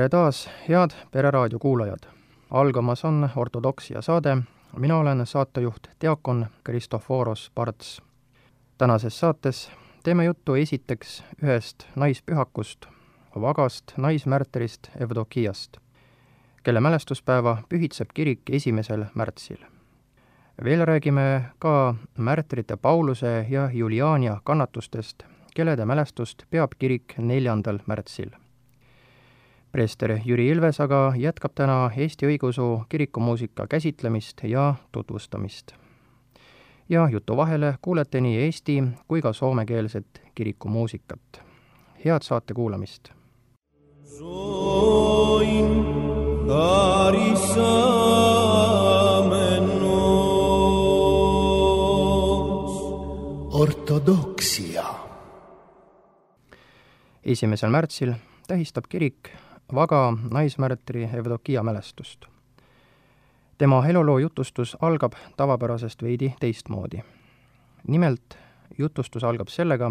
Tere taas, head Pereraadio kuulajad! Algamas on ortodoksia saade. Mina olen saatejuht diakon Kristoforos Parts. Tänases saates teeme juttu esiteks ühest naispühakust, vagast naismärterist Evdokiast, kelle mälestuspäeva pühitseb kirik 1. märtsil. Veel räägime ka märtrite Pauluse ja Juliania kannatustest, kellede mälestust peab kirik 4. märtsil. Preester Jüri Ilves aga jätkab täna Eesti õigeusu kirikumuusika käsitlemist ja tutvustamist. Ja jutu vahele kuulete nii eesti kui ka soomekeelset kirikumuusikat. Head saate kuulamist! Ortodoksia. 1. märtsil tähistab kirik vaga naismärtri Evdokia mälestust. Tema eluloo jutustus algab tavapärasest veidi teistmoodi. Nimelt, jutustus algab sellega,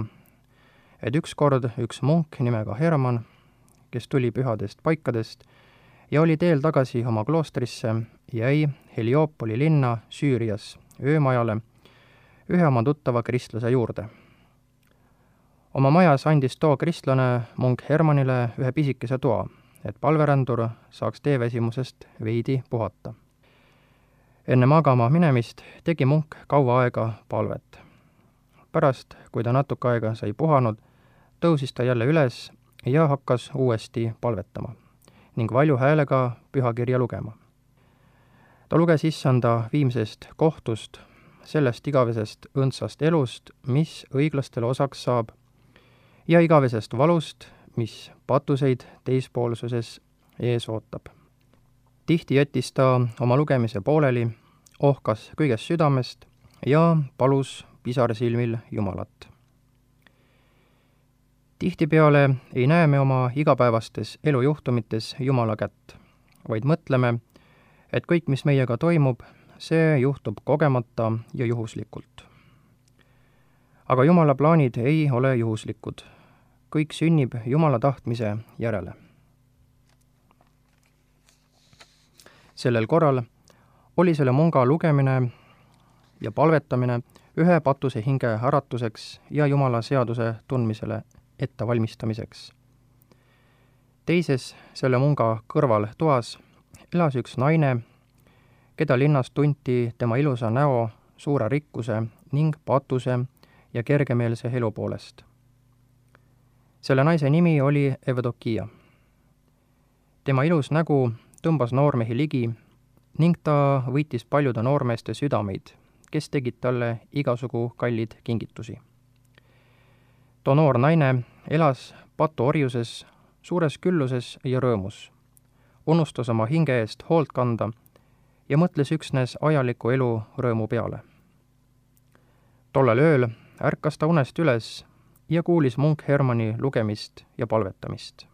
et ükskord üks munk nimega Herman, kes tuli pühadest paikadest ja oli teel tagasi oma kloostrisse, jäi Heliopoli linna Süürias öömajale ühe oma tuttava kristlase juurde. Oma majas andis too kristlane munk Hermanile ühe pisikese toa, et palverändur saaks teeväsimusest veidi puhata. Enne magama minemist tegi munk kaua aega palvet. Pärast, kui ta natuke aega sai puhanud, tõusis ta jälle üles ja hakkas uuesti palvetama ning valju häälega pühakirja lugema. Ta luges issanda viimsest kohtust, sellest igavesest õndsast elust, mis õiglastele osaks saab, ja igavesest valust, mis patuseid teispoolsuses ees ootab. Tihti jättis ta oma lugemise pooleli, ohkas kõigest südamest ja palus pisarsilmil Jumalat. Tihtipeale ei näe me oma igapäevastes elujuhtumites Jumala kätt, vaid mõtleme, et kõik, mis meiega toimub, see juhtub kogemata ja juhuslikult. Aga Jumala plaanid ei ole juhuslikud. Kõik sünnib Jumala tahtmise järele. Sellel korral oli selle munga lugemine ja palvetamine ühe patuse hinge äratuseks ja Jumala seaduse tundmisele ettevalmistamiseks. Teises selle munga kõrval toas elas üks naine, keda linnas tunti tema ilusa näo, suure rikkuse ning patuse ja kergemeelse elu poolest. Selle naise nimi oli Evdokia. Tema ilus nägu tõmbas noormehi ligi ning ta võitis paljude noormeeste südameid, kes tegid talle igasugu kallid kingitusi. Too noor naine elas patuorjuses, suures külluses ja rõõmus, unustas oma hinge eest hoolt kanda ja mõtles üksnes ajaliku elu rõõmu peale. Tollel ööl ärkas ta unest üles ja kuulis munk Hermani lugemist ja palvetamist.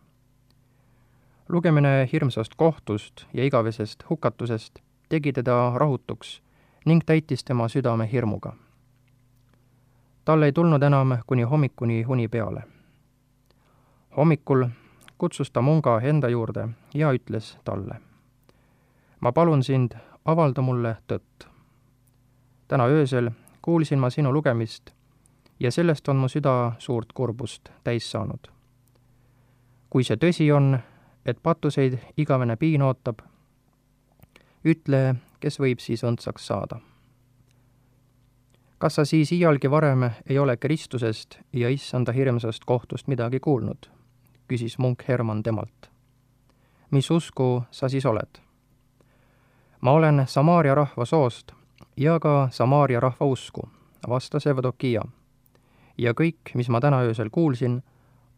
Lugemine hirmsast kohtust ja igavesest hukatusest tegi teda rahutuks ning täitis tema südame hirmuga. Tal ei tulnud enam kuni hommikuni uni peale. Hommikul kutsus ta munga enda juurde ja ütles talle: "Ma palun sind, avalda mulle tõtt. Täna öösel kuulsin ma sinu lugemist ja sellest on mu süda suurt kurbust täis saanud. Kui see tõsi on, et patuseid igavene piin ootab, ütle, kes võib siis õndsaks saada. Kas sa siis iialgi varem ei ole Kristusest ja issanda hirmsast kohtust midagi kuulnud?" küsis munk Herman temalt. "Mis usku sa siis oled?" "Ma olen Samaaria rahva soost ja ka Samaaria rahva usku," vastas Evdokia. "Ja kõik, mis ma täna öösel kuulsin,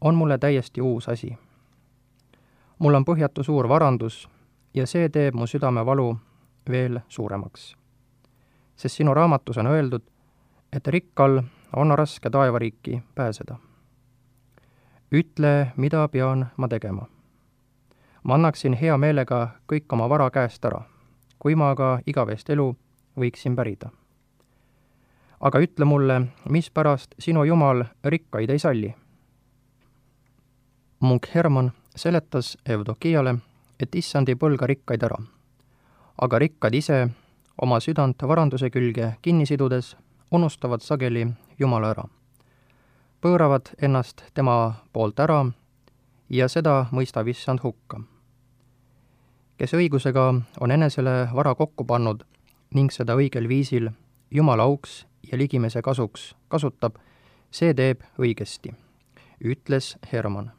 on mulle täiesti uus asi. Mul on põhjatu suur varandus ja see teeb mu südamevalu veel suuremaks. Sest sinu raamatus on öeldud, et rikkal on raske taevariiki pääseda. Ütle, mida pean ma tegema. Ma annaksin hea meelega kõik oma vara käest ära, kui ma aga igavest elu võiksin pärida. Aga ütle mulle, mispärast sinu Jumal rikkaid ei salli?" Munk Herman seletas Evdokiale, et issand ei põlga rikkaid ära. Aga rikkad ise, oma südant varanduse külge kinni sidudes, unustavad sageli Jumala ära. Pööravad ennast tema poolt ära ja seda mõistab issand hukka. Kes õigusega on enesele vara kokku pannud ning seda õigel viisil Jumala auks ja ligimese kasuks kasutab, see teeb õigesti, ütles Herman.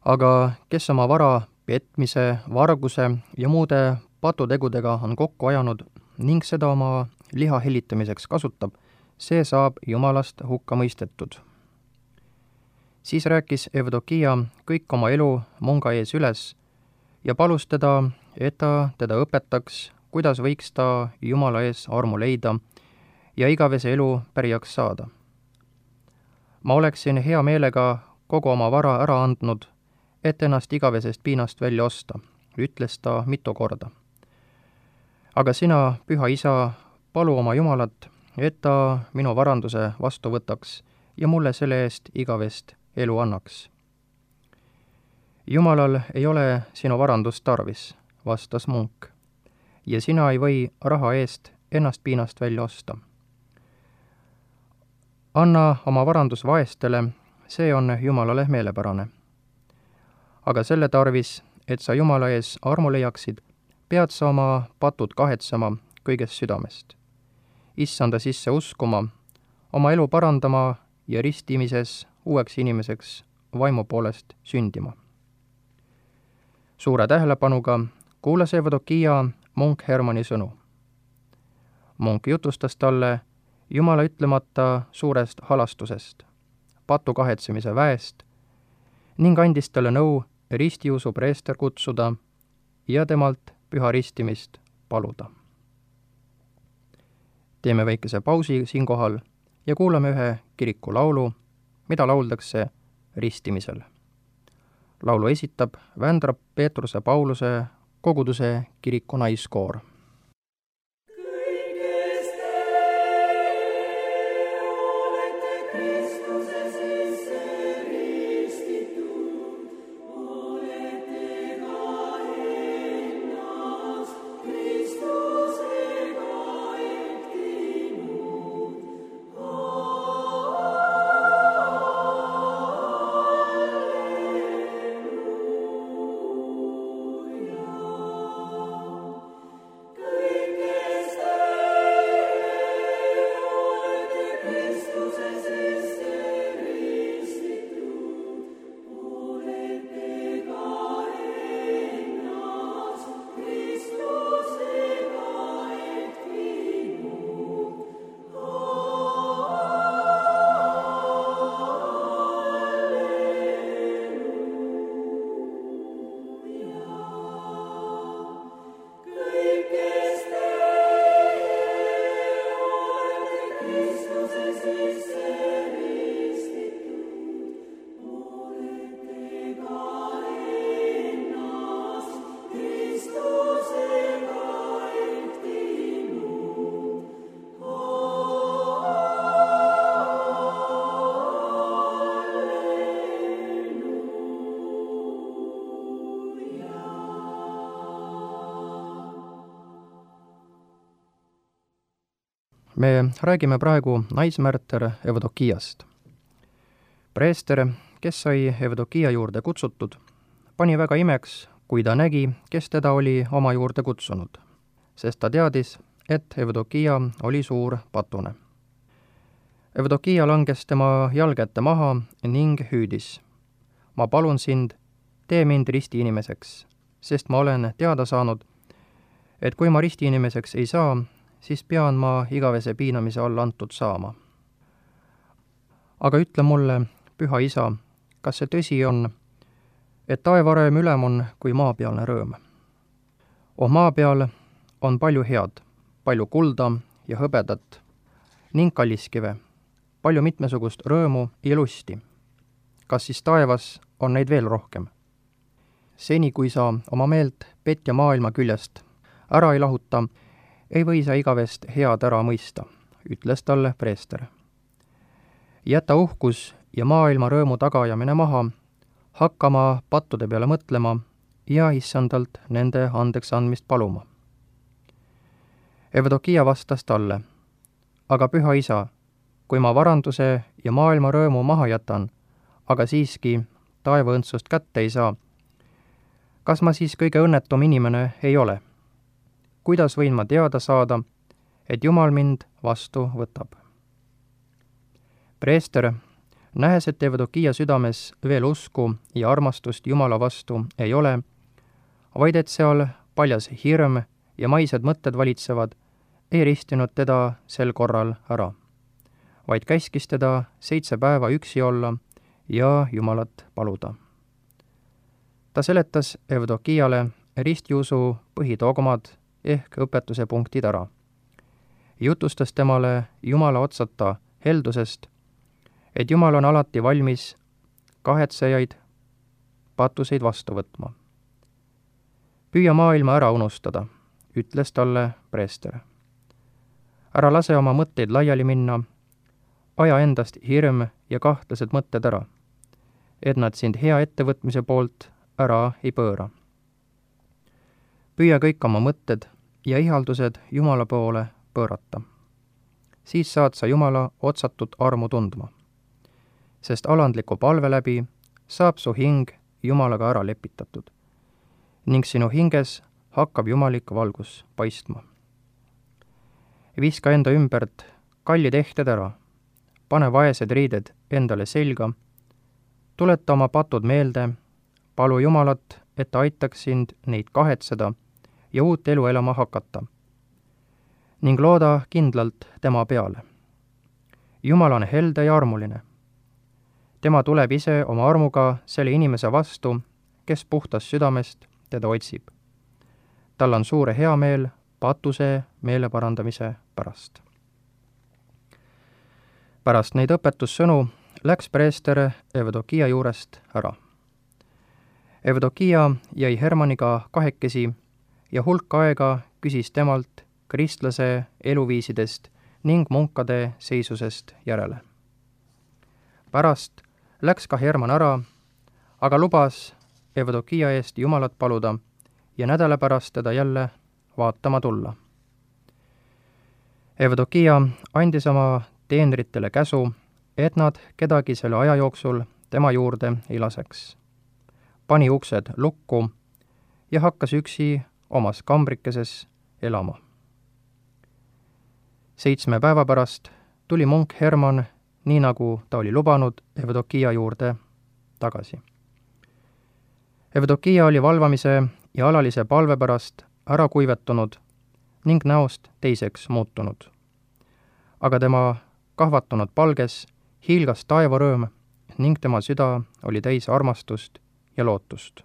Aga kes oma vara petmise, varguse ja muude patutegudega on kokku ajanud ning seda oma liha hellitamiseks kasutab, see saab Jumalast hukka mõistetud. Siis rääkis Evdokia kõik oma elu munga ees üles ja palus teda, et ta teda õpetaks, kuidas võiks ta Jumala ees armu leida ja igavese elu pärijaks saada. Ma oleksin hea meelega kogu oma vara ära andnud, et ennast igavesest piinast välja osta, ütles ta mitu korda. Aga sina, püha isa, palu oma Jumalat, et ta minu varanduse vastu võtaks ja mulle selle eest igavest elu annaks. Jumalal ei ole sinu varandust tarvis, vastas munk, ja sina ei või raha eest ennast piinast välja osta. Anna oma varandus vaestele, see on Jumalale meelepärane. Aga selle tarvis, et sa Jumala ees armu leiaksid, pead sa oma patud kahetsema kõigest südamest. Issanda sisse uskuma, oma elu parandama ja ristimises uueks inimeseks vaimu poolest sündima. Suure tähelepanuga kuulas Evdokia munk Hermani sõnu. Munk jutustas talle Jumala ütlemata suurest halastusest, patu kahetsemise väest ning andis talle nõu ristiusu preester kutsuda ja temalt püha ristimist paluda. Teeme väikese pausi siinkohal ja kuulame ühe kiriku laulu, mida lauldakse ristimisel. Laulu esitab Vändra Peetruse Pauluse koguduse kiriku naiskoor. Me räägime praegu naismärter Evdokiast. Preester, kes sai Evdokia juurde kutsutud, pani väga imeks, kui ta nägi, kes teda oli oma juurde kutsunud, sest ta teadis, et Evdokia oli suur patune. Evdokia langes tema jalge ette maha ning hüüdis: ma palun sind, tee mind ristiinimeseks, sest ma olen teada saanud, et kui ma ristiinimeseks ei saa, siis pean ma igavese piinamise alla antud saama. Aga ütle mulle, püha isa, kas see tõsi on, et taevarõõm ülem on kui maapealne rõõm? Maa peal on palju head, palju kulda ja hõbedat ning kalliskive, palju mitmesugust rõõmu ja lusti. Kas siis taevas on neid veel rohkem? Seni, kui sa oma meelt petja maailma küljest ära ei lahuta, ei või sa igavest head ära mõista, ütles talle preester. Jäta uhkus ja maailma rõõmu tagajamine maha, hakkama pattude peale mõtlema ja issandalt nende andeks andmist paluma. Evdokia vastas talle, aga püha isa, kui ma varanduse ja maailma rõõmu maha jätan, aga siiski taevaõndsust kätte ei saa, kas ma siis kõige õnnetum inimene ei ole? Kuidas võin ma teada saada, et Jumal mind vastu võtab? Preester, nähes, et Evdokia südames veel usku ja armastust Jumala vastu ei ole, vaid et seal paljas hirm ja maised mõtted valitsevad, ei ristinud teda sel korral ära, vaid käskis teda 7 päeva üksi olla ja Jumalat paluda. Ta seletas Evdokiale ristiusu põhidogmad ehk õpetuse punktid ära. Jutustas temale Jumala otsata heldusest, et Jumal on alati valmis kahetsejaid, patuseid vastu võtma. Püüa maailma ära unustada, ütles talle preester. Ära lase oma mõtteid laiali minna, aja endast hirm ja kahtlased mõtted ära, et nad sind hea ettevõtmise poolt ära ei pööra. Püüa kõik oma mõtted ja ihaldused Jumala poole pöörata. Siis saad sa Jumala otsatut armu tundma, sest alandliku palve läbi saab su hing Jumalaga ära lepitatud ning sinu hinges hakkab jumalik valgus paistma. Viska enda ümbert kallid ehted ära, pane vaesed riided endale selga, tuleta oma patud meelde, palu Jumalat, et ta aitaks sind neid kahetseda ja uut elu elama hakata ning looda kindlalt tema peale. Jumal on helde ja armuline. Tema tuleb ise oma armuga selle inimese vastu, kes puhtast südamest teda otsib. Tal on suure heameel patuse meeleparandamise pärast. Pärast neid õpetussõnu läks preester Evdokia juurest ära. Evdokia jäi Hermaniga kahekesi ja hulk aega küsis temalt kristlase eluviisidest ning munkade seisusest järele. Pärast läks ka Herman ära, aga lubas Evdokia eest Jumalat paluda ja nädala pärast teda jälle vaatama tulla. Evdokia andis oma teenritele käsu, et nad kedagi selle aja jooksul tema juurde ei laseks. Pani uksed lukku ja hakkas üksi omas kambrikeses elama. 7 päeva pärast tuli munk Herman, nii nagu ta oli lubanud, Evdokia juurde tagasi. Evdokia oli valvamise ja alalise palve pärast ära kuivetunud ning näost teiseks muutunud. Aga tema kahvatunud palges hiilgas taevarõõm ning tema süda oli täis armastust ja lootust.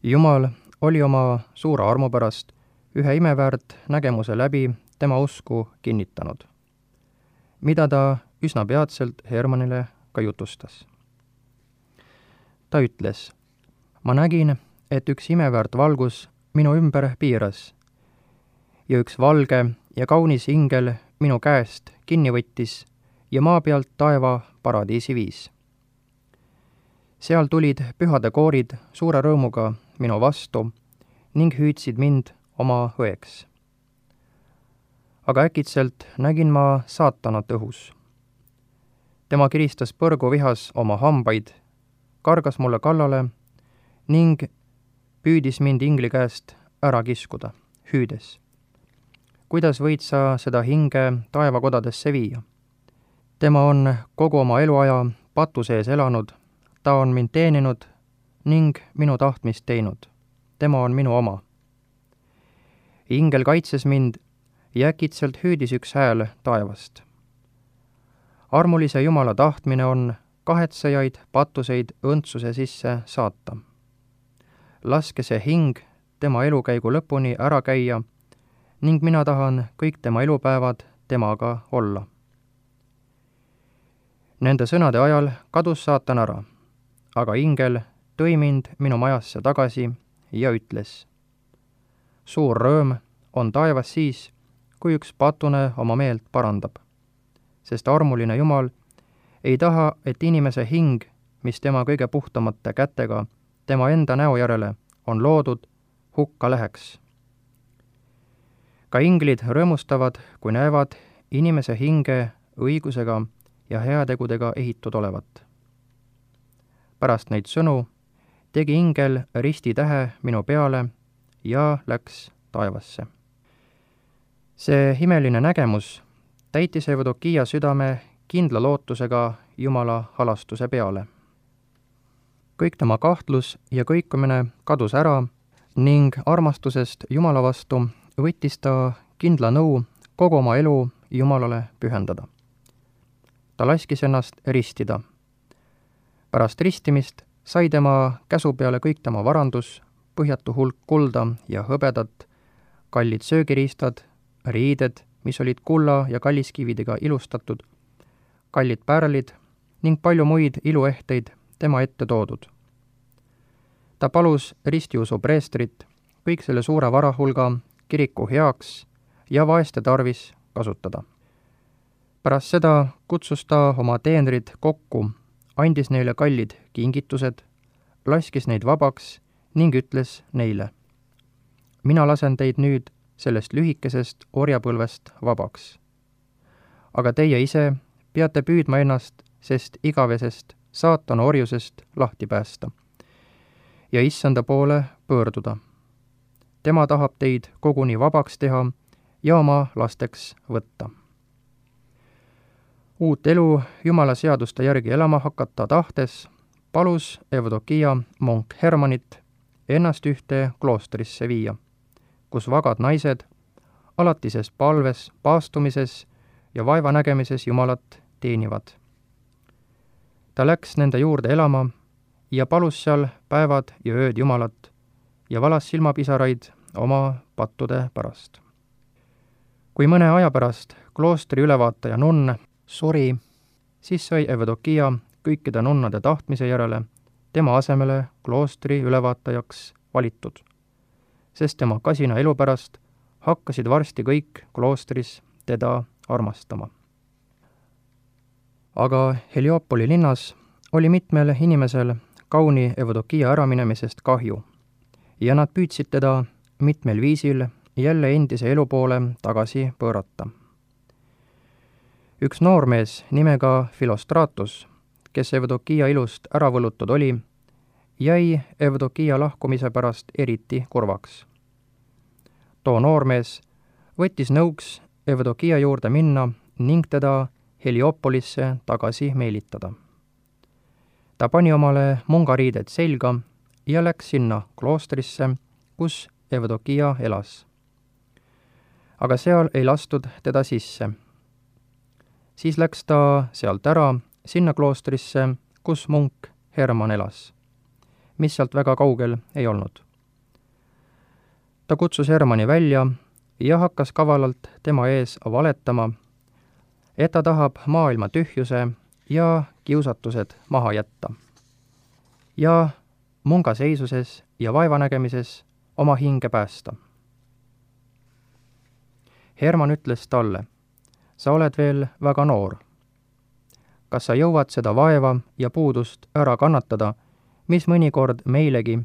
Jumal oli oma suure armu pärast ühe imeväärt nägemuse läbi tema usku kinnitanud, mida ta üsna peatselt Hermanile ka jutustas. Ta ütles, ma nägin, et üks imeväärt valgus minu ümber piiras ja üks valge ja kaunis ingel minu käest kinni võttis ja maa pealt taeva paradiisi viis. Seal tulid pühade koorid suure rõõmuga minu vastu ning hüüdsid mind oma õeks. Aga äkitselt nägin ma saatanat õhus. Tema kiristas põrgu vihas oma hambaid, kargas mulle kallale ning püüdis mind ingli käest ära kiskuda, hüüdes. Kuidas võid sa seda hinge taevakodadesse viia? Tema on kogu oma eluaja patu sees elanud, ta on mind teeninud ning minu tahtmist teinud. Tema on minu oma. Ingel kaitses mind ja äkitselt hüüdis üks hääl taevast. Armulise Jumala tahtmine on kahetsejaid patuseid õndsuse sisse saata. Laske see hing tema elukäigu lõpuni ära käia ning mina tahan kõik tema elupäevad temaga olla. Nende sõnade ajal kadus saatan ära, aga ingel tõi mind minu majasse tagasi ja ütles. Suur rõõm on taevas siis, kui üks patune oma meelt parandab, sest armuline Jumal ei taha, et inimese hing, mis tema kõige puhtamate kätega tema enda näo järele on loodud, hukka läheks. ka inglid rõõmustavad, kui näevad inimese hinge õigusega ja heategudega ehitud olevat. pärast neid sõnu tegi ingel ristitähe minu peale ja läks taevasse. see imeline nägemus täitis Evdokia südame kindla lootusega Jumala halastuse peale. kõik tema kahtlus ja kõikumine kadus ära ning armastusest Jumala vastu võttis ta kindla nõu kogu oma elu Jumalale pühendada. ta laskis ennast ristida. pärast ristimist sai tema käsu peale kõik tema varandus, põhjatu hulk kulda ja hõbedat, kallid söögiriistad, riided, mis olid kulla ja kalliskividega ilustatud, kallid pärlid ning palju muid iluehteid tema ette toodud. ta palus ristiusu preestrit kõik selle suure varahulga kiriku heaks ja vaeste tarvis kasutada. pärast seda kutsus ta oma teenrid kokku, andis neile kallid kingitused, laskis neid vabaks ning ütles neile: mina lasen teid nüüd sellest lühikesest orjapõlvest vabaks. aga teie ise peate püüdma ennast sest igavesest saatana orjusest lahti päästa ja issanda poole pöörduda. tema tahab teid koguni vabaks teha ja oma lasteks võtta. uut elu Jumala seaduste järgi elama hakata tahtes palus Evdokia monk Hermanit ennast ühte kloostrisse viia, kus vagad naised alatises palves, paastumises ja vaevanägemises Jumalat teenivad. ta läks nende juurde elama ja palus seal päevad ja ööd Jumalat ja valas silmapisaraid oma pattude pärast. kui mõne aja pärast kloostri ülevaataja nunn suri, siis sai Evdokia kõikide nunnade tahtmise järele tema asemele kloostri ülevaatajaks valitud, sest tema kasina elu pärast hakkasid varsti kõik kloostris teda armastama. aga Heliopoli linnas oli mitmel inimesel kauni Evdokia äraminemisest kahju ja nad püüdsid teda mitmel viisil jälle endise elu poole tagasi pöörata. üks noormees nimega Philostratus, kes Evdokia ilust ära võlutud oli, jäi Evdokia lahkumise pärast eriti kurvaks. too noormees võttis nõuks Evdokia juurde minna ning teda Heliopolisse tagasi meelitada. ta pani omale mungariided selga ja läks sinna kloostrisse, kus Evdokia elas. aga seal ei lastud teda sisse. siis läks ta sealt ära sinna kloostrisse, kus munk Herman elas, mis sealt väga kaugel ei olnud. ta kutsus Hermani välja ja hakkas kavalalt tema ees valetama, et ta tahab maailma tühjuse ja kiusatused maha jätta ja munga seisuses ja vaevanägemises oma hinge päästa. Herman ütles talle: sa oled veel väga noor. kas sa jõuad seda vaeva ja puudust ära kannatada, mis mõnikord meilegi,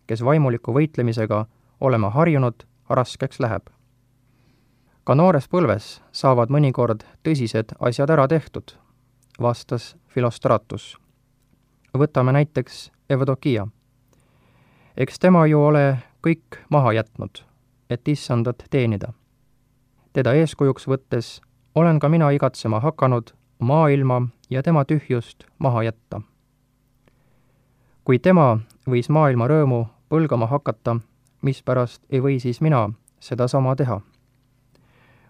kes vaimuliku võitlemisega oleme harjunud, raskeks läheb? ka noores põlves saavad mõnikord tõsised asjad ära tehtud, vastas Philostratus. võtame näiteks Evdokia. eks tema ju ole kõik maha jätnud, et issandat teenida. teda eeskujuks võttes olen ka mina igatsema hakanud maailma ja tema tühjust maha jätta. kui tema võis maailma rõõmu põlgama hakata, mispärast ei või siis mina sedasama teha?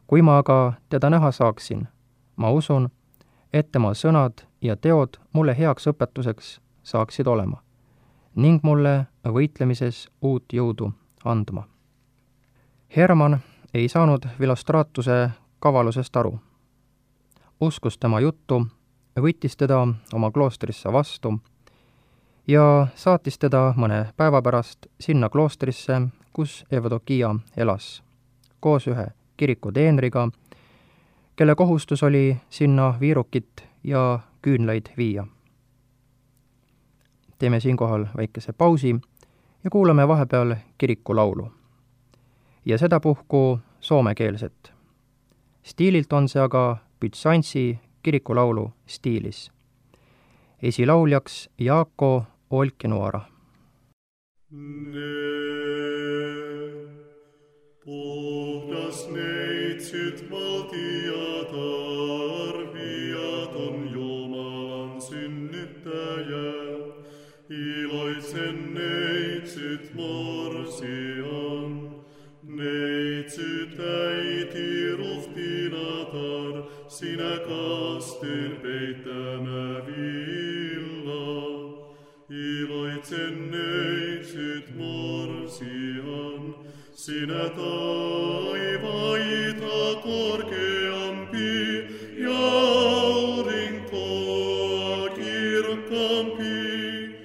kui ma aga teda näha saaksin, ma usun, et tema sõnad ja teod mulle heaks õpetuseks saaksid olema ning mulle võitlemises uut jõudu andma. Herman ei saanud Philostratuse kavalusest aru. uskus tema juttu, võttis teda oma kloostrisse vastu ja saatis teda mõne päeva pärast sinna kloostrisse, kus Evdokia elas, koos ühe kiriku teenriga, kelle kohustus oli sinna viirukit ja küünlaid viia. teeme siinkohal väikese pausi ja kuulame vahepeal kirikulaulu. Ja sedapuhku soomekeelset. Stiililt on see aga Byzantsi kirikulaulu stiilis. Esilauljaks Jaakko Olkinuora. Puhdas neitsyt valtiat arviat on Jumalan synnyttäjä. Iloitsen neitsyt morsian, neitsyt äiti ruhtinatar, sinä kasteen peittämä villa. Iloitsen neitsyt morsian, sinä taivaita korkeampi ja aurinkoa kirkkaampi.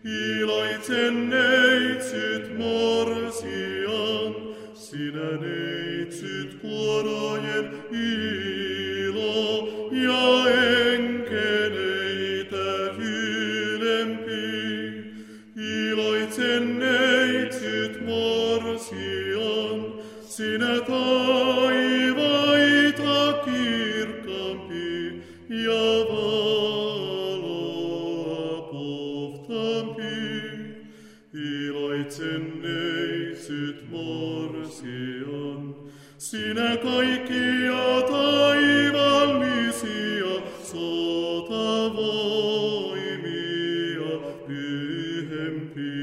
Iloitsen neitsyt morsian, sinä neitsyt kuorojen ilo ja enkeleitä ylempi. Iloitsen neitsyt morsian, sinä taivaita kirkkaampi ja valoa puhtaampi. Iloitsen neitsyt morsian, sinä kaikkia taivallisia sotavoimia pyhempi.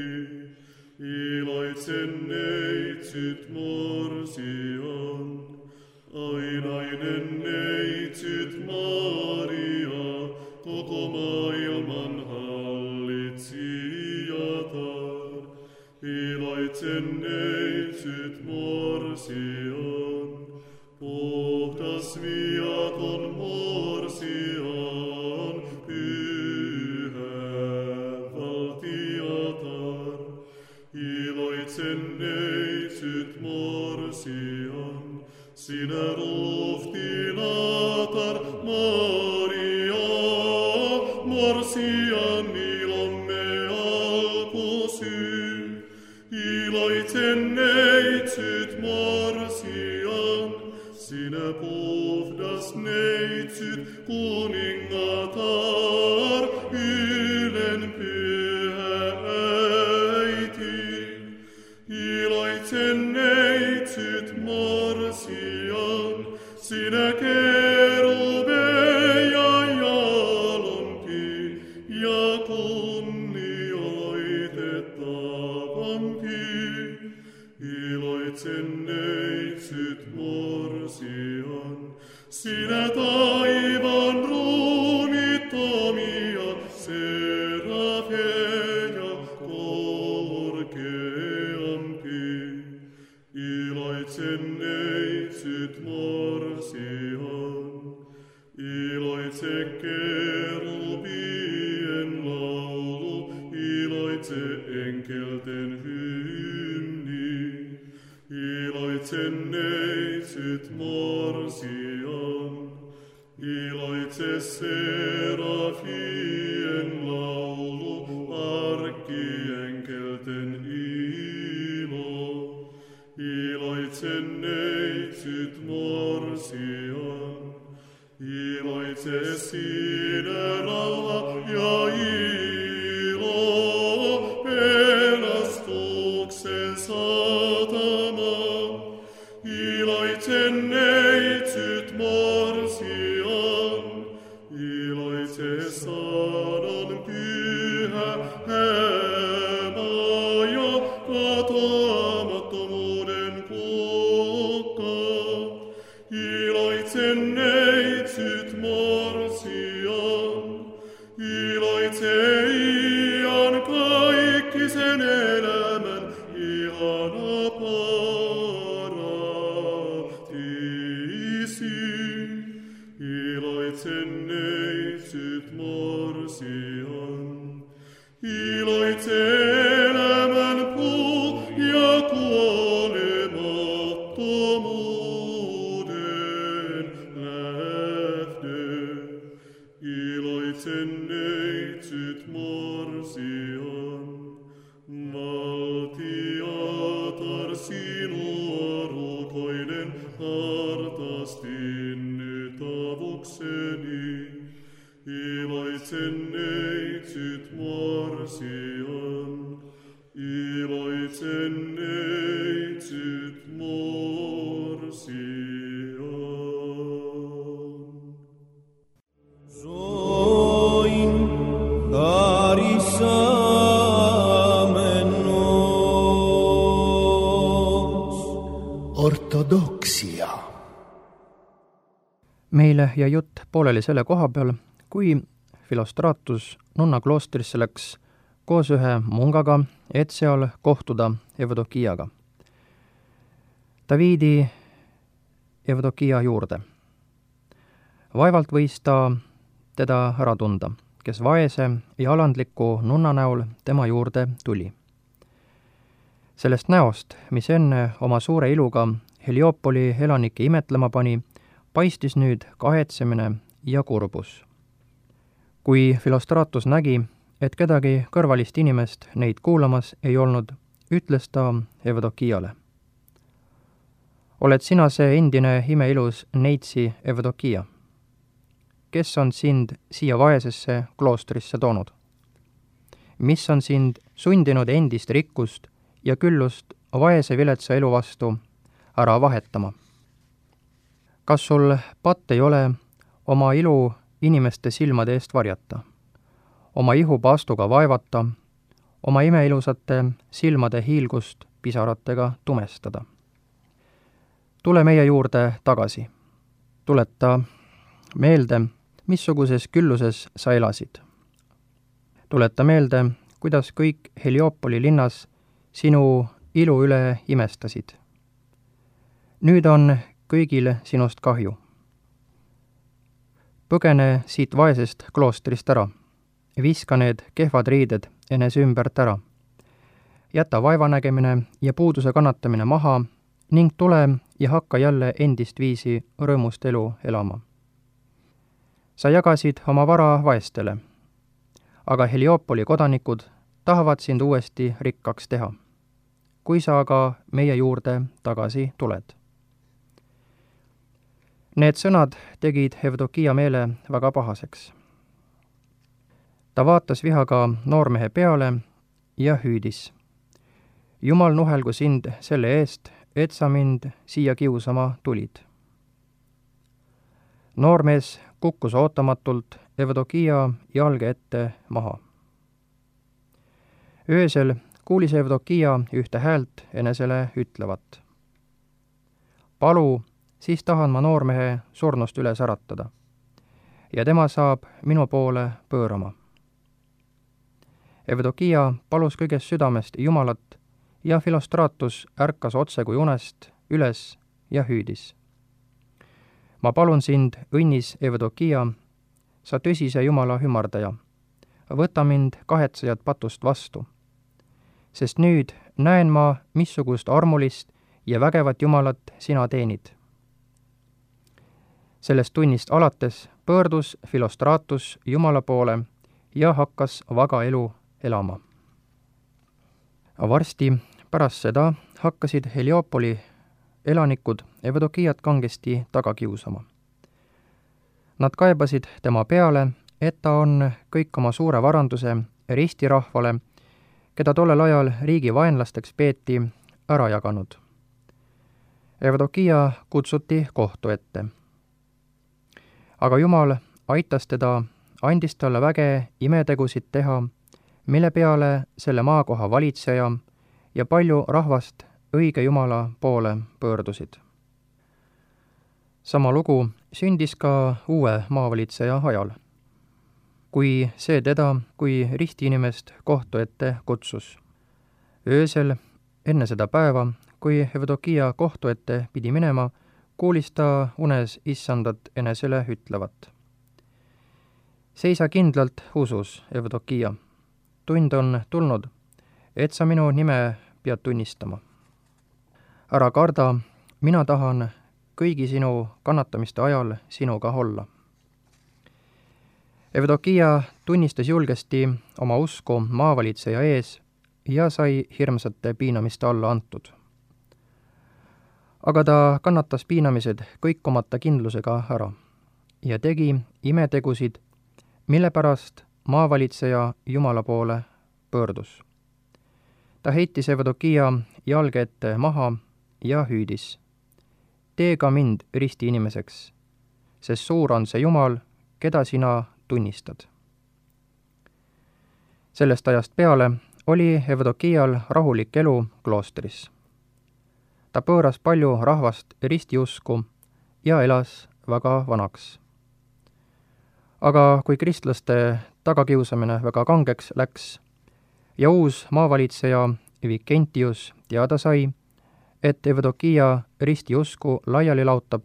Iloitsen neitsyt morsian, ainainen neitsyt Maria, koko maailman hallitsijatar. Iloitsen neitsyt morsian, puhdas viaton morsian, pyhä valtiatar. Iloitsen neitsyt morsian, sinä ruhtinatar Maria, morsian ilomme alkusyy. Iloitsen neitsyt morsian, sinä puhdas neitsyt kuningatar, ylen pyhä äiti. Iloitsen neitsyt morsian, sinä kerubeja jalompi ja kunnioitettavampi. Iloitsen neitsyt morsian, sinä taivaan ruumittomia serafeja korkeampi. Iloitsen neitsyt morsian, iloitse kerubien laulu, iloitse enkelten hymni. Iloitsen neitsyt morsian, iloitse serafien laulu, arkkienkelten ilo. Iloitsen neitsyt morsian, iloitse sinä rauha ja ilo, pelastuksen satama. Iloitsen neitsyt morsian, iloitse sanan pyhä hämä ja katoamattomuuden kukka. Iloitsen neitsyt morsian, iloitse ian kaikkisen elämän ihana paratiisi. Iloitsen neitsyt morsian, iloitse elämän puu ja kuolemattomuuden lähtö. Iloitsen neitsyt morsian. sinu arukailen hartastin nyt avukseni. Iloitsen neitsyt morsian, iloitsen neitsyt morsian. Soin karisamenos. Ortodoksia. Meile jäi jutt pooleli selle koha peal, kui Filostratus nunna kloostrisse läks koos ühe mungaga, et seal kohtuda Evdokiaga. Ta viidi Evdokia juurde. Vaevalt võis ta teda ära tunda, kes vaese ja alandliku nunna näol tema juurde tuli. Sellest näost, mis enne oma suure iluga Heliopoli elanikke imetlema pani, paistis nüüd kahetsemine ja kurbus. Kui Filostratus nägi, et kedagi kõrvalist inimest neid kuulamas ei olnud, ütles ta Evdokiale. Oled sina see endine imeilus neitsi Evdokia? Kes on sind siia vaesesse kloostrisse toonud? Mis on sind sundinud endist rikkust ja küllust vaese viletsa elu vastu ära vahetama? Kas sul patt ei ole oma ilu inimeste silmade eest varjata, oma ihu paastuga vaevata, oma imeilusate silmade hiilgust pisaratega tumestada? Tule meie juurde tagasi. Tuleta meelde, missuguses külluses sa elasid. Tuleta meelde, kuidas kõik Heliopoli linnas sinu ilu üle imestasid. Nüüd on kõigil sinust kahju. Põgene siit vaesest kloostrist ära. Viska need kehvad riided enese ümbert ära. Jäta vaevanägemine ja puuduse kannatamine maha ning tule ja hakka jälle endist viisi rõõmust elu elama. Sa jagasid oma vara vaestele, aga Heliopoli kodanikud tahavad sind uuesti rikkaks teha, kui sa aga meie juurde tagasi tuled. Need sõnad tegid Evdokia meele väga pahaseks. Ta vaatas vihaga noormehe peale ja hüüdis. Jumal nuhelgu sind selle eest, et sa mind siia kiusama tulid. Noormees kukkus ootamatult Evdokia jalge ette maha. Öösel kuulis Evdokia ühte häält enesele ütlevat. Palu, siis tahan ma noormehe surnust üles äratada ja tema saab minu poole pöörama. Evdokia palus kõigest südamest Jumalat ja Filostratus ärkas otse kui unest üles ja hüüdis. Ma palun sind, õnnis Evdokia, sa tõsise Jumala ümardaja, võta mind kahetsejat patust vastu, sest nüüd näen ma, missugust armulist ja vägevat Jumalat sina teenid. Sellest tunnist alates pöördus Filostratus Jumala poole ja hakkas vaga elu elama. Varsti pärast seda hakkasid Heliopoli elanikud Evdokiat kangesti taga kiusama. Nad kaebasid tema peale, et ta on kõik oma suure varanduse ristirahvale, keda tollel ajal riigi vaenlasteks peeti, ära jaganud. Evdokia kutsuti kohtu ette. Aga Jumal aitas teda, andis talle väge imetegusid teha, mille peale selle maakoha valitseja ja palju rahvast õige Jumala poole pöördusid. Sama lugu sündis ka uue maavalitseja ajal, kui see teda kui ristiinimest kohtu ette kutsus. Öösel enne seda päeva, kui Evdokia kohtu ette pidi minema, kuulis ta unes issandat enesele ütlevat. Seisa kindlalt usus, Evdokia. Tund on tulnud, et sa minu nime pead tunnistama. Ära karda, mina tahan kõigi sinu kannatamiste ajal sinuga olla. Evdokia tunnistas julgesti oma usku maavalitseja ees ja sai hirmsate piinamiste alla antud. aga ta kannatas piinamised kõikumata kindlusega ära ja tegi imetegusid, mille pärast maavalitseja Jumala poole pöördus. Ta heitis Evdokia jalge ette maha ja hüüdis: tee ka mind risti inimeseks, sest suur on see Jumal, keda sina tunnistad. Sellest ajast peale oli Evdokial rahulik elu kloostris. Ta pööras palju rahvast ristiusku ja elas väga vanaks. Aga kui kristlaste tagakiusamine väga kangeks läks ja uus maavalitseja Vikentius teada sai, et Evdokia ristiusku laiali laotab,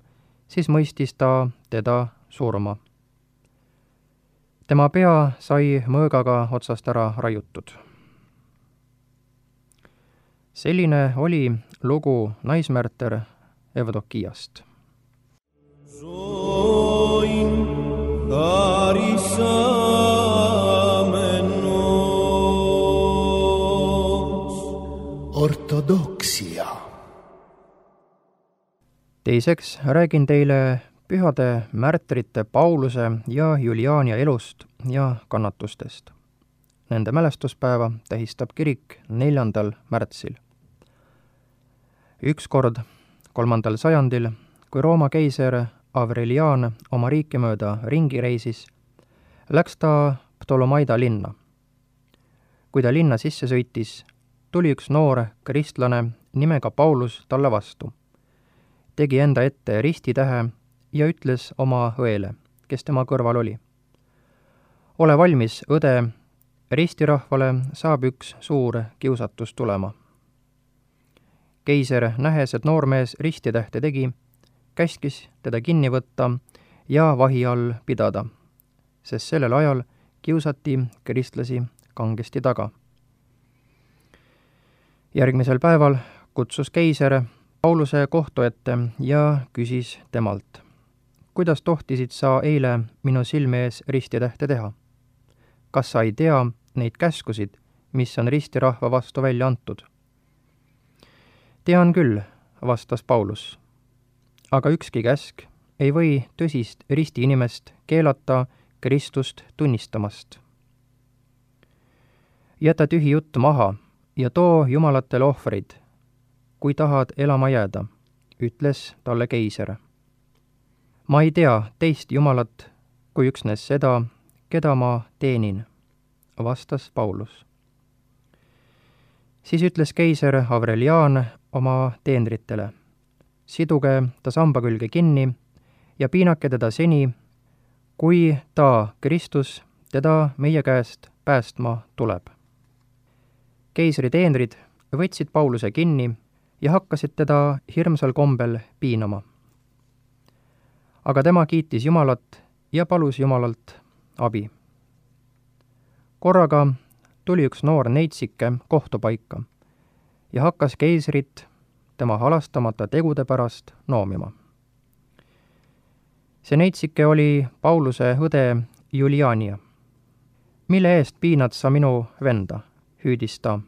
siis mõistis ta teda surma. Tema pea sai mõõgaga otsast ära raiutud. Selline oli lugu naismärter Evdokiast. Zoin karisamenos Ortodoksia. Teiseks räägin teile pühade märtrite Pauluse ja Juliania elust ja kannatustest. Nende mälestuspäeva tähistab kirik 4. märtsil. Ükskord 3. sajandil, kui Rooma keiser Aurelian oma riiki mööda ringi reisis, läks ta Ptolomaida linna. Kui ta linna sisse sõitis, tuli üks noor kristlane nimega Paulus talle vastu, tegi enda ette ristitähe ja ütles oma õele, kes tema kõrval oli: ole valmis, õde, ristirahvale saab üks suur kiusatus tulema. Keiser, nähes, et noormees ristitähte tegi, käskis teda kinni võtta ja vahi all pidada, sest sellel ajal kiusati kristlasi kangesti taga. Järgmisel päeval kutsus keiser Pauluse kohtu ette ja küsis temalt: kuidas tohtisid sa eile minu silme ees ristitähte teha? Kas sa ei tea neid käskusid, mis on ristirahva vastu välja antud? Tean küll, vastas Paulus, aga ükski käsk ei või tõsist risti inimest keelata Kristust tunnistamast. Jäta tühi jutt maha ja too jumalatele ohvreid, kui tahad elama jääda, ütles talle keiser. Ma ei tea teist jumalat kui üksnes seda, keda ma teenin, vastas Paulus. Siis ütles keiser Aurelian oma teenritele: siduge ta samba külge kinni ja piinake teda seni, kui ta, Kristus, teda meie käest päästma tuleb. Keisri teenrid võtsid Pauluse kinni ja hakkasid teda hirmsal kombel piinama. Aga tema kiitis Jumalat ja palus Jumalalt abi. Korraga tuli üks noor neitsike kohtupaika ja hakkas keisrit tema halastamata tegude pärast noomima. See neitsike oli Pauluse õde Juliania. Mille eest piinad sa minu venda, hüüdis ta.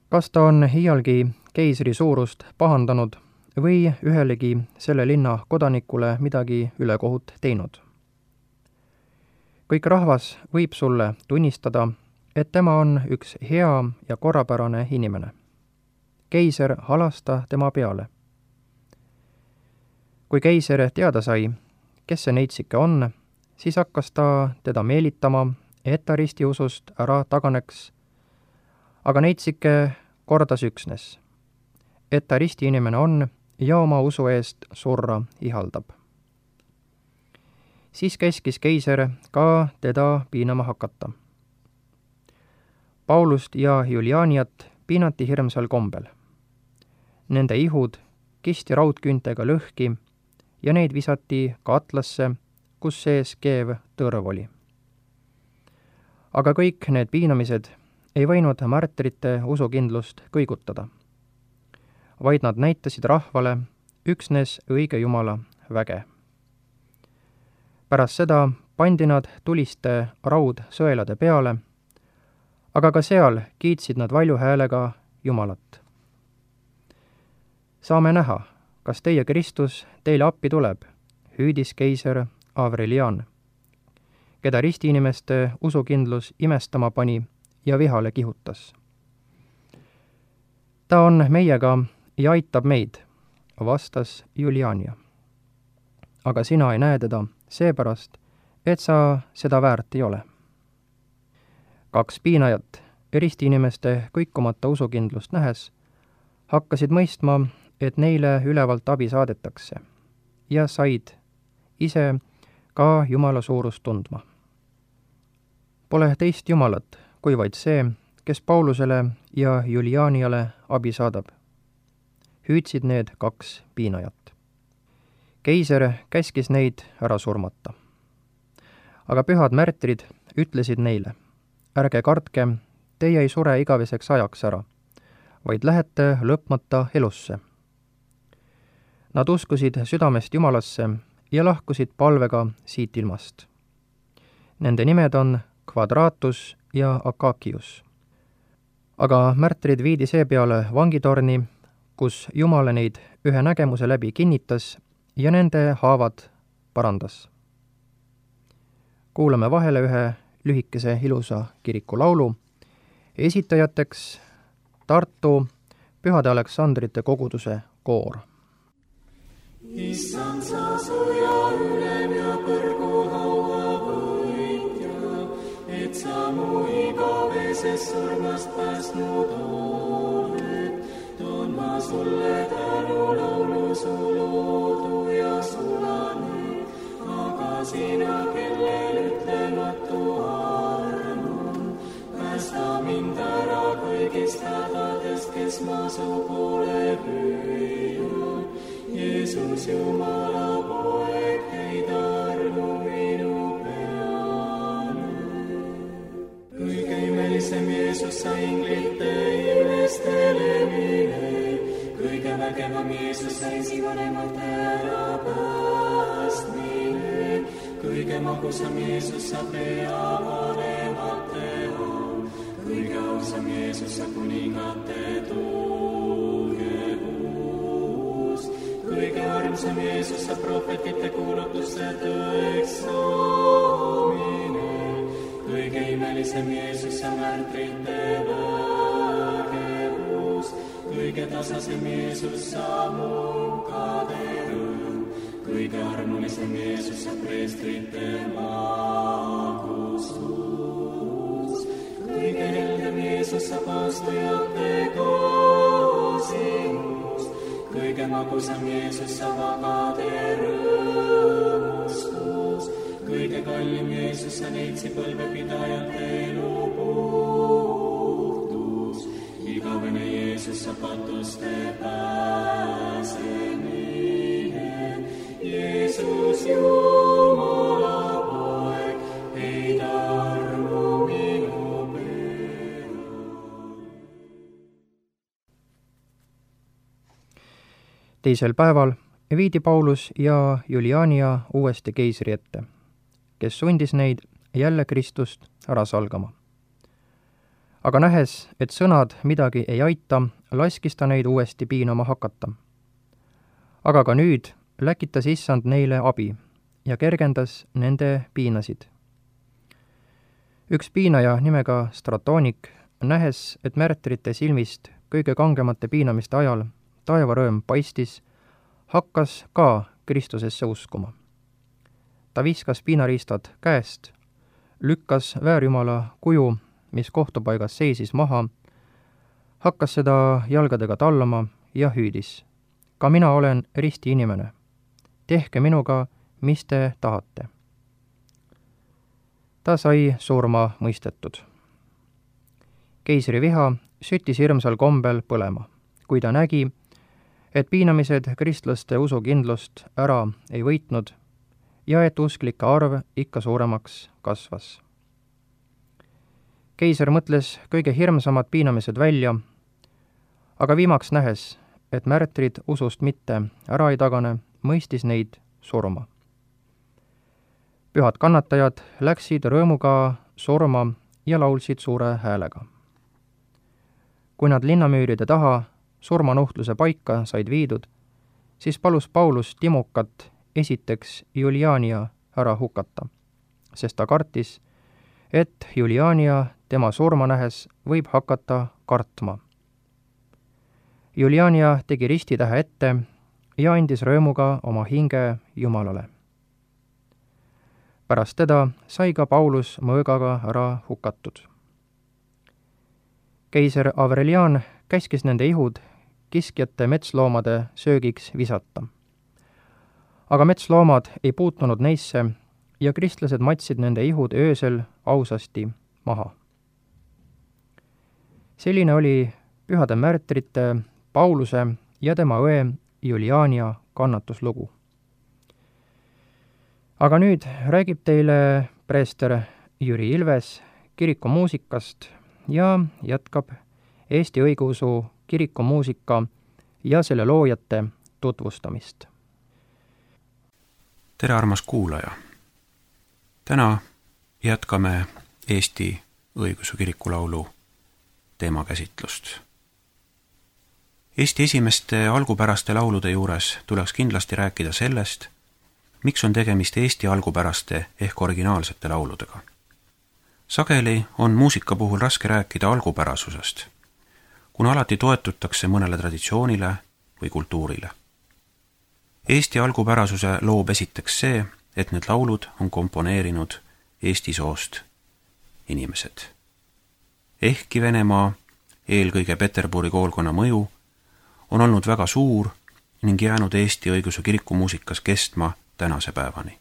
Kas ta on iialgi keisri suurust pahandanud või ühelegi selle linna kodanikule midagi ülekohut teinud? Kõik rahvas võib sulle tunnistada, et tema on üks hea ja korrapärane inimene. Keiser halasta tema peale. Kui keiser teada sai, kes see neitsike on, siis hakkas ta teda meelitama, et ta ristiusust ära taganeks, aga neitsike kordas üksnes, et ta ristiinimene on ja oma usu eest surra ihaldab. Siis käskis keiser ka teda piinama hakata. Paulust ja Julianiat piinati hirmsal kombel. Nende ihud kisti raudküüntega lõhki ja neid visati katlasse, kus sees keev tõrv oli. Aga kõik need piinamised ei võinud märtrite usukindlust kõigutada, vaid nad näitasid rahvale üksnes õige Jumala väge. Pärast seda pandi nad tuliste raudsõelade peale, aga ka seal kiitsid nad valju häälega Jumalat. saame näha, kas teie Kristus teile appi tuleb, hüüdis keiser Avrelian, keda ristiinimeste usukindlus imestama pani ja vihale kihutas. Ta on meiega ja aitab meid, vastas Juliania. Aga sina ei näe teda seepärast, et sa seda väärt ei ole. 2 piinajat, ristiinimeste kõikumata usukindlust nähes, hakkasid mõistma, et neile ülevalt abi saadetakse ja said ise ka Jumala suurust tundma. Pole teist Jumalat, kui vaid see, kes Paulusele ja Julianiale abi saadab. Hüüdsid need 2 piinajat. Keiser käskis neid ära surmata. Aga pühad märtrid ütlesid neile, ärge kartke, teie ei sure igaveseks ajaks ära, vaid lähete lõpmata elusse. Nad uskusid südamest Jumalasse ja lahkusid palvega siit ilmast. Nende nimed on Quadratus ja Akakius. Aga märtrid viidi seepeale vangitorni, kus Jumal neid ühe nägemuse läbi kinnitas ja nende haavad parandas. Kuulame vahele ühe lühikese ilusa kirikulaulu, esitajateks Tartu Pühade Aleksandrite koguduse koor. Issand, sa sõja ülem ja põrgu haua võitja, et sa mu igavesest surmast päästnud oled. Toon ma sulle tänu laulu su loodu ja sulane, aga sina, kellel ütlematu arm on, päästa mind ära kõigist hädadest, kes ma su poole püüan. Jeesus, Jumala poeg, heida armu minu peale. Kõige imelisem Jeesus, sa inglite ilmestele mine, kõige vägevam Jeesus, sa esivanemate ära päästmine, kõige magusam Jeesus, sa pea vanemate all, kõige ausam Jeesus, sa kuningate tugevus, kõige armsam Jeesus, sa prohvetite kuulutuste tõeks saamine, kõige imelisem Jeesus, sa märtrite vägevus, kõige tasasem Jeesus, sa munkade rõõm, kõige armulisem Jeesus, sa preestrite magustus, kõige heldem Jeesus, sa paastujate koosinus, kõige magusam Jeesus, sa vagade rõõmustus, kõige kallim Jeesus, sa neitsi põlvepidajate elu puhtus, igavene Jeesus, sa patuste pääsemine, Jeesus, Jumala poeg, heida armu minu peale. Teisel päeval viidi Paulus ja Juliania uuesti keisri ette, kes sundis neid jälle Kristust ära salgama. Aga nähes, et sõnad midagi ei aita, laskis ta neid uuesti piinama hakata. Aga ka nüüd läkitas Issand neile abi ja kergendas nende piinasid. Üks piinaja nimega Stratoonik, nähes, et märtrite silmist kõige kangemate piinamiste ajal taevarõõm paistis, hakkas ka Kristusesse uskuma. Ta viskas piinariistad käest, lükkas väärjumala kuju, mis kohtupaigas seisis maha, hakkas seda jalgadega tallama ja hüüdis: ka mina olen risti inimene. Tehke minuga, mis te tahate. Ta sai surma mõistetud. Keisri viha süttis hirmsal kombel põlema, kui ta nägi, et piinamised kristlaste usukindlust ära ei võitnud ja et usklike arv ikka suuremaks kasvas. Keiser mõtles kõige hirmsamad piinamised välja, aga viimaks nähes, et märtrid usust mitte ära ei tagane, mõistis neid surma. Pühad kannatajad läksid rõõmuga surma ja laulsid suure häälega. Kui nad linnamüüride taha surmanuhtluse paika said viidud, siis palus Paulus Timokat esiteks Juliania ära hukata, sest ta kartis, et Juliania tema surma nähes võib hakata kartma. Juliania tegi ristitähe ette ja andis rõõmuga oma hinge Jumalale. Pärast teda sai ka Paulus mõõgaga ära hukatud. Keiser Aurelian käskis nende ihud kiskjate metsloomade söögiks visata. Aga metsloomad ei puutunud neisse ja kristlased matsid nende ihud öösel ausasti maha. Selline oli pühade märtrite Pauluse ja tema õe Juliania kannatuslugu. Aga nüüd räägib teile preester Jüri Ilves kirikumuusikast ja jätkab Eesti õigeusu kirikumuusika ja selle loojate tutvustamist. Tere, armas kuulaja! Täna jätkame Eesti õigeusu kirikulaulu teemakäsitlust. Eesti esimeste algupäraste laulude juures tuleks kindlasti rääkida sellest, miks on tegemist Eesti algupäraste ehk originaalsete lauludega. Sageli on muusika puhul raske rääkida algupärasusest, kuna alati toetutakse mõnele traditsioonile või kultuurile. Eesti algupärasuse loob esiteks see, et need laulud on komponeerinud Eesti soost inimesed. Ehkki Venemaa, eelkõige Peterburi koolkonna mõju, on olnud väga suur ning jäänud Eesti õigeusu kirikumuusikas kestma tänase päevani.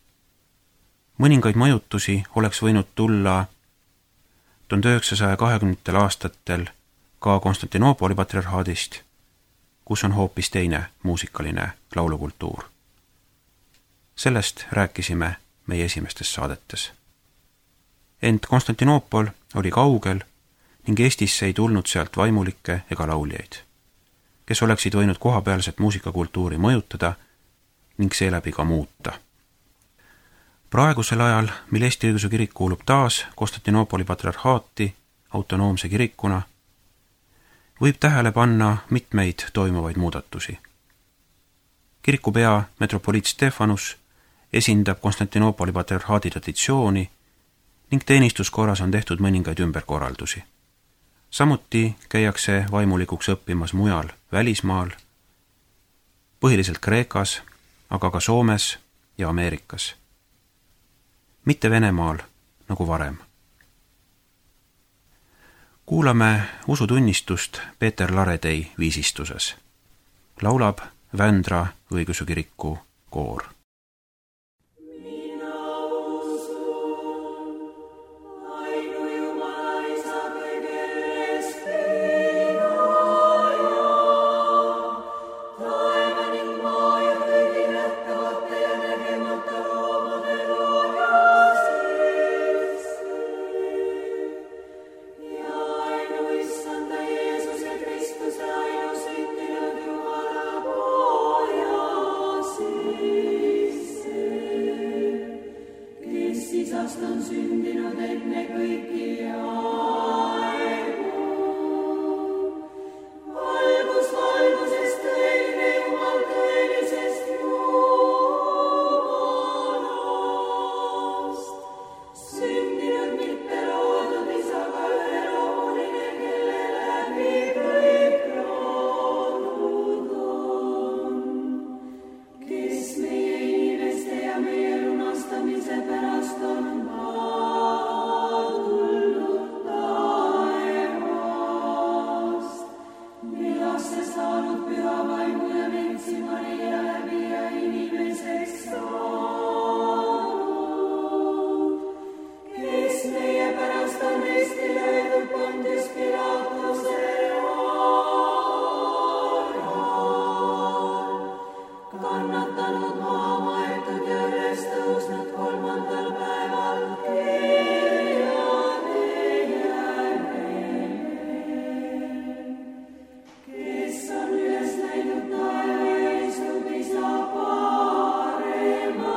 Mõningaid mõjutusi oleks võinud tulla 1920. aastatel ka Konstantinoopoli patriarhaadist, kus on hoopis teine muusikaline laulukultuur. Sellest rääkisime meie esimestes saadetes. Ent Konstantinoopol oli kaugel ning Eestisse ei tulnud sealt vaimulikke ega lauljaid, kes oleksid võinud kohapealset muusikakultuuri mõjutada ning seeläbi ka muuta. Praegusel ajal, mil Eesti õigeusu kirik kuulub taas Konstantinoopoli patriarhaati autonoomse kirikuna, võib tähele panna mitmeid toimuvaid muudatusi. Kirikupea metropoliit Stefanus esindab Konstantinoopoli patriarhaadi traditsiooni ning teenistuskorras on tehtud mõningaid ümberkorraldusi. Samuti käiakse vaimulikuks õppimas mujal välismaal, põhiliselt Kreekas, aga ka Soomes ja Ameerikas. Mitte Venemaal nagu varem. Kuulame usutunnistust Peeter Laredei viisistuses. Laulab Vändra õigeusu kiriku koor. Kes on üles näinud taeva, istub isa parema.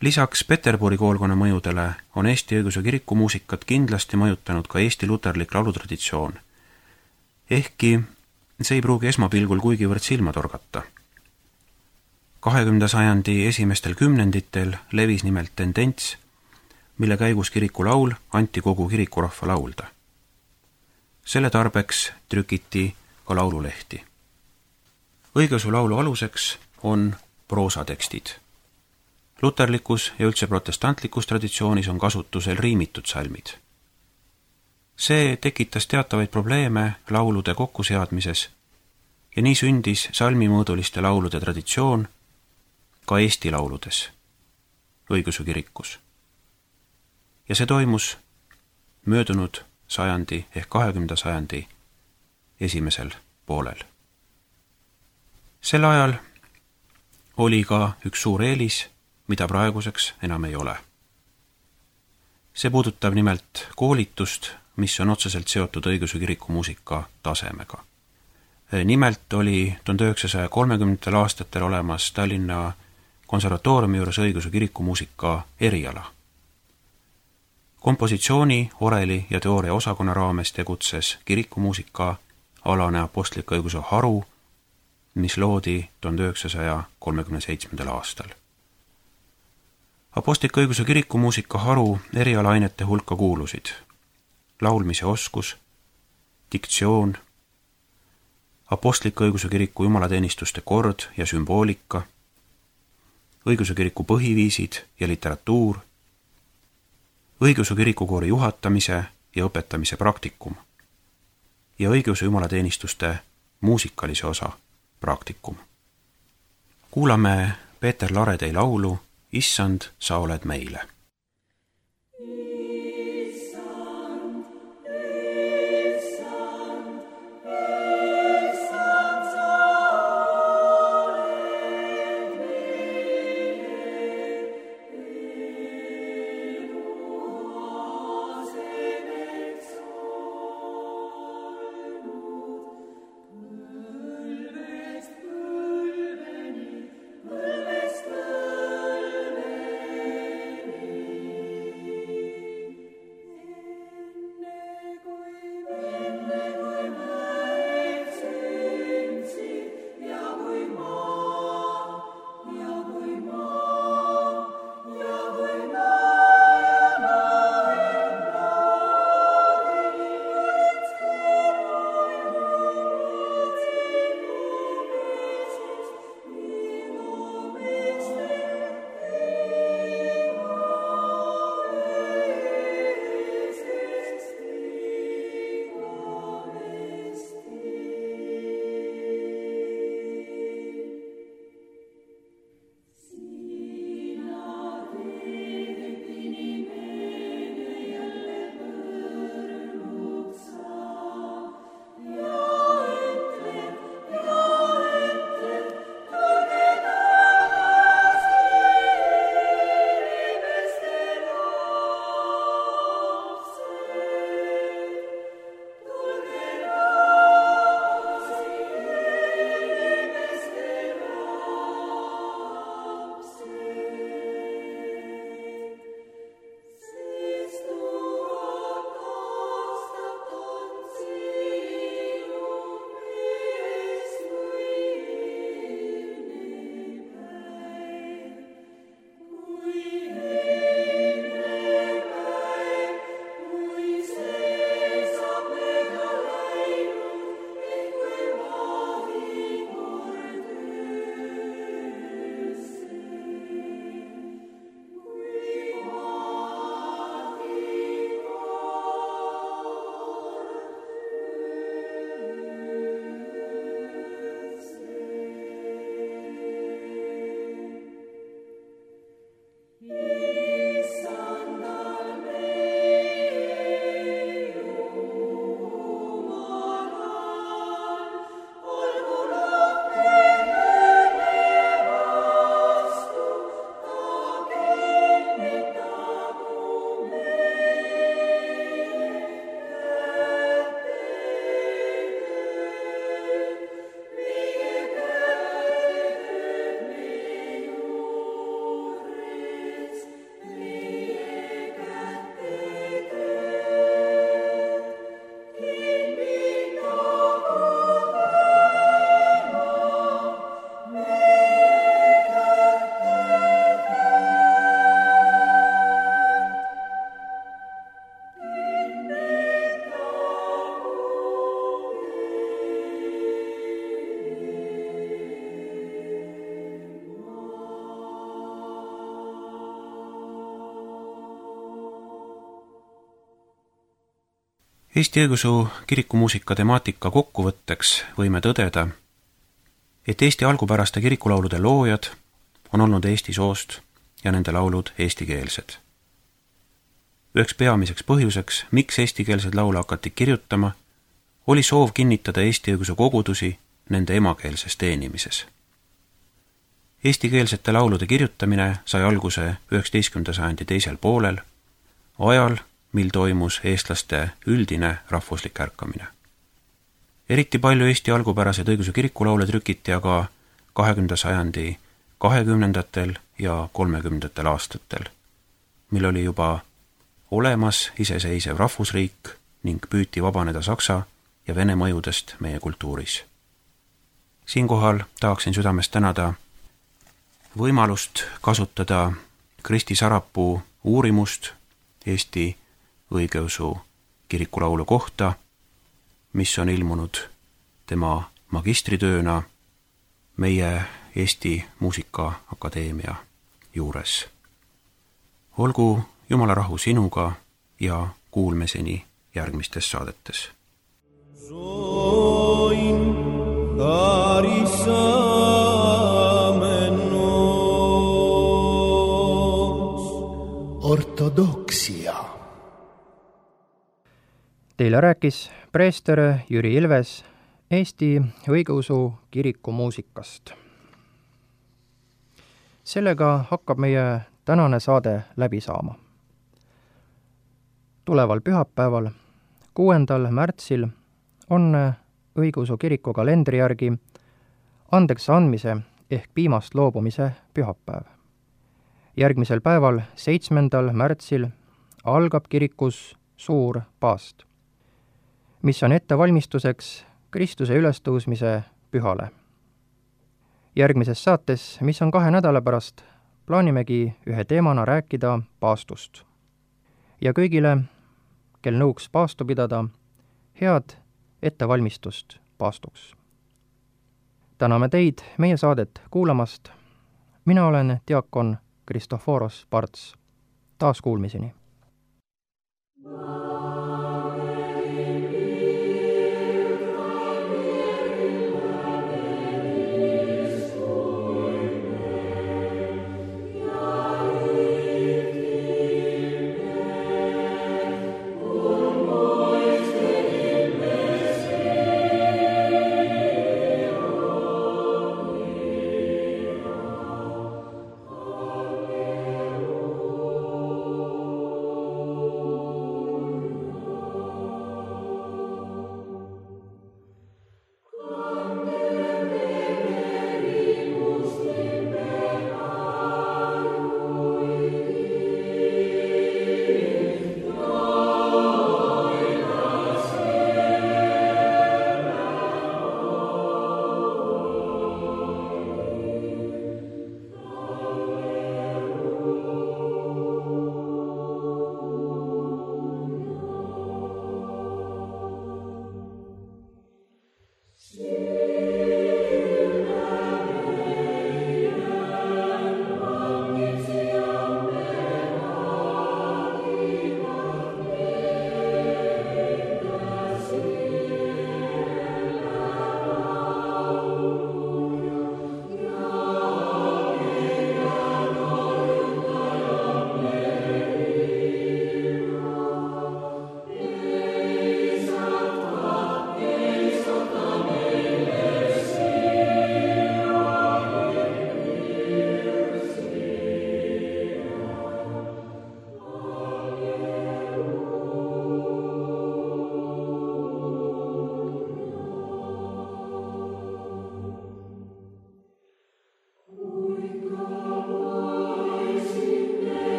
Lisaks Peterburi koolkonna mõjudele on Eesti Õigeusu Kiriku muusikat kindlasti mõjutanud ka Eesti luterlik laulutraditsioon, ehkki see ei pruugi esmapilgul kuigivõrd silma torgata. 20. sajandi esimestel kümnenditel levis nimelt tendents, mille käigus kirikulaul anti kogu kirikurahva laulda. Selle tarbeks trükiti ka laululehti. Õigeusu laulu aluseks on proosatekstid. Luterlikus ja üldse protestantlikus traditsioonis on kasutusel riimitud salmid. See tekitas teatavaid probleeme laulude kokkuseadmises ja nii sündis salmimõõduliste laulude traditsioon ka Eesti lauludes, Õigeusu kirikus. Ja see toimus möödunud sajandi ehk 20. sajandi esimesel poolel. Sel ajal oli ka üks suur eelis, mida praeguseks enam ei ole. See puudutab nimelt koolitust, mis on otseselt seotud Õigeusu Kiriku muusika tasemega. Nimelt oli 1930. aastatel olemas Tallinna konservatooriumi juures Õigeusu Kiriku muusika eriala. Kompositsiooni, oreli ja teooria osakonna raames tegutses kirikumuusika alane apostlik õiguse haru, mis loodi 1937. aastal. Apostlik õiguse kirikumuusika haru erialaainete hulka kuulusid laulmise oskus, diktsioon, apostlik õiguse kiriku jumalateenistuste kord ja sümboolika, õigeusu kiriku põhiviisid ja literatuur, õigeusu kirikukoori juhatamise ja õpetamise praktikum ja õigeusu jumalateenistuste muusikalise osa praktikum. Kuulame Peeter Laredei laulu Issand, sa oled meile. Eesti Õigeusu kirikumuusika temaatika kokkuvõtteks võime tõdeda, et Eesti algupäraste kirikulaulude loojad on olnud eesti soost ja nende laulud eestikeelsed. Üheks peamiseks põhjuseks, miks eestikeelsed laule hakati kirjutama, oli soov kinnitada Eesti õigeusu kogudusi nende emakeelses teenimises. Eestikeelsete laulude kirjutamine sai alguse 19. sajandi teisel poolel, ajal, mil toimus eestlaste üldine rahvuslik ärkamine. Eriti palju Eesti algupäraseid õigeusu kirikulaule trükiti aga 20. sajandi 20. ja 30. aastatel, mil oli juba olemas iseseisev rahvusriik ning püüti vabaneda Saksa ja Vene mõjudest meie kultuuris. Siinkohal tahaksin südamest tänada võimalust kasutada Kristi Sarapuu uurimust Eesti õigeusu kirikulaulu kohta, mis on ilmunud tema magistritööna meie Eesti Muusikaakadeemia juures. Olgu Jumala rahu sinuga ja kuulmiseni järgmistes saadetes. Ortodoksia. Teile rääkis preester Jüri Ilves Eesti õigeusu kiriku muusikast. Sellega hakkab meie tänane saade läbi saama. Tuleval pühapäeval, 6. märtsil, on õigeusu kiriku kalendri järgi andeks andmise ehk piimast loobumise pühapäev. Järgmisel päeval, 7. märtsil, algab kirikus suur paast, mis on ettevalmistuseks Kristuse ülestõusmise pühale. Järgmises saates, mis on 2 nädala pärast, plaanimegi ühe teemana rääkida paastust. Ja kõigile, kel nõuks paastu pidada, head ettevalmistust paastuks. Täname teid meie saadet kuulamast. Mina olen diakon Kristoforos Parts. Taas kuulmiseni.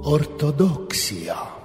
ortodoksia.